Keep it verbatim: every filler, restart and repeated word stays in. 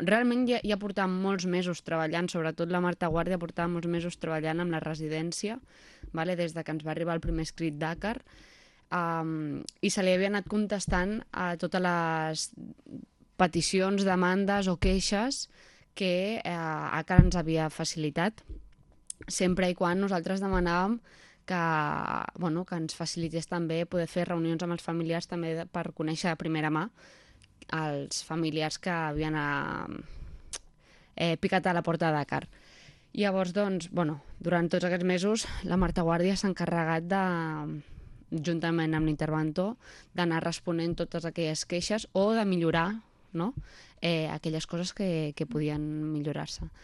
realment ja, ja portàvem molts mesos treballant, sobretot la Marta Guàrdia portava molts mesos treballant amb la residència, vale? Des de que ens va arribar el primer escrit d'Àcar, um, i se li havia anat contestant a totes les peticions, demandes o queixes que eh, Àcar ens havia facilitat, sempre i quan nosaltres demanàvem que, bueno, que ens facilités també poder fer reunions amb els familiars també per conèixer de primera mà els familiars que havien eh, picat a la porta de Dakar. Llavors, doncs, bueno, durant tots aquests mesos la Marta Guàrdia s'ha encarregat de, juntament amb l'interventor, d'anar responent totes aquelles queixes o de millorar, no? eh, aquelles coses que, que podien millorar-se.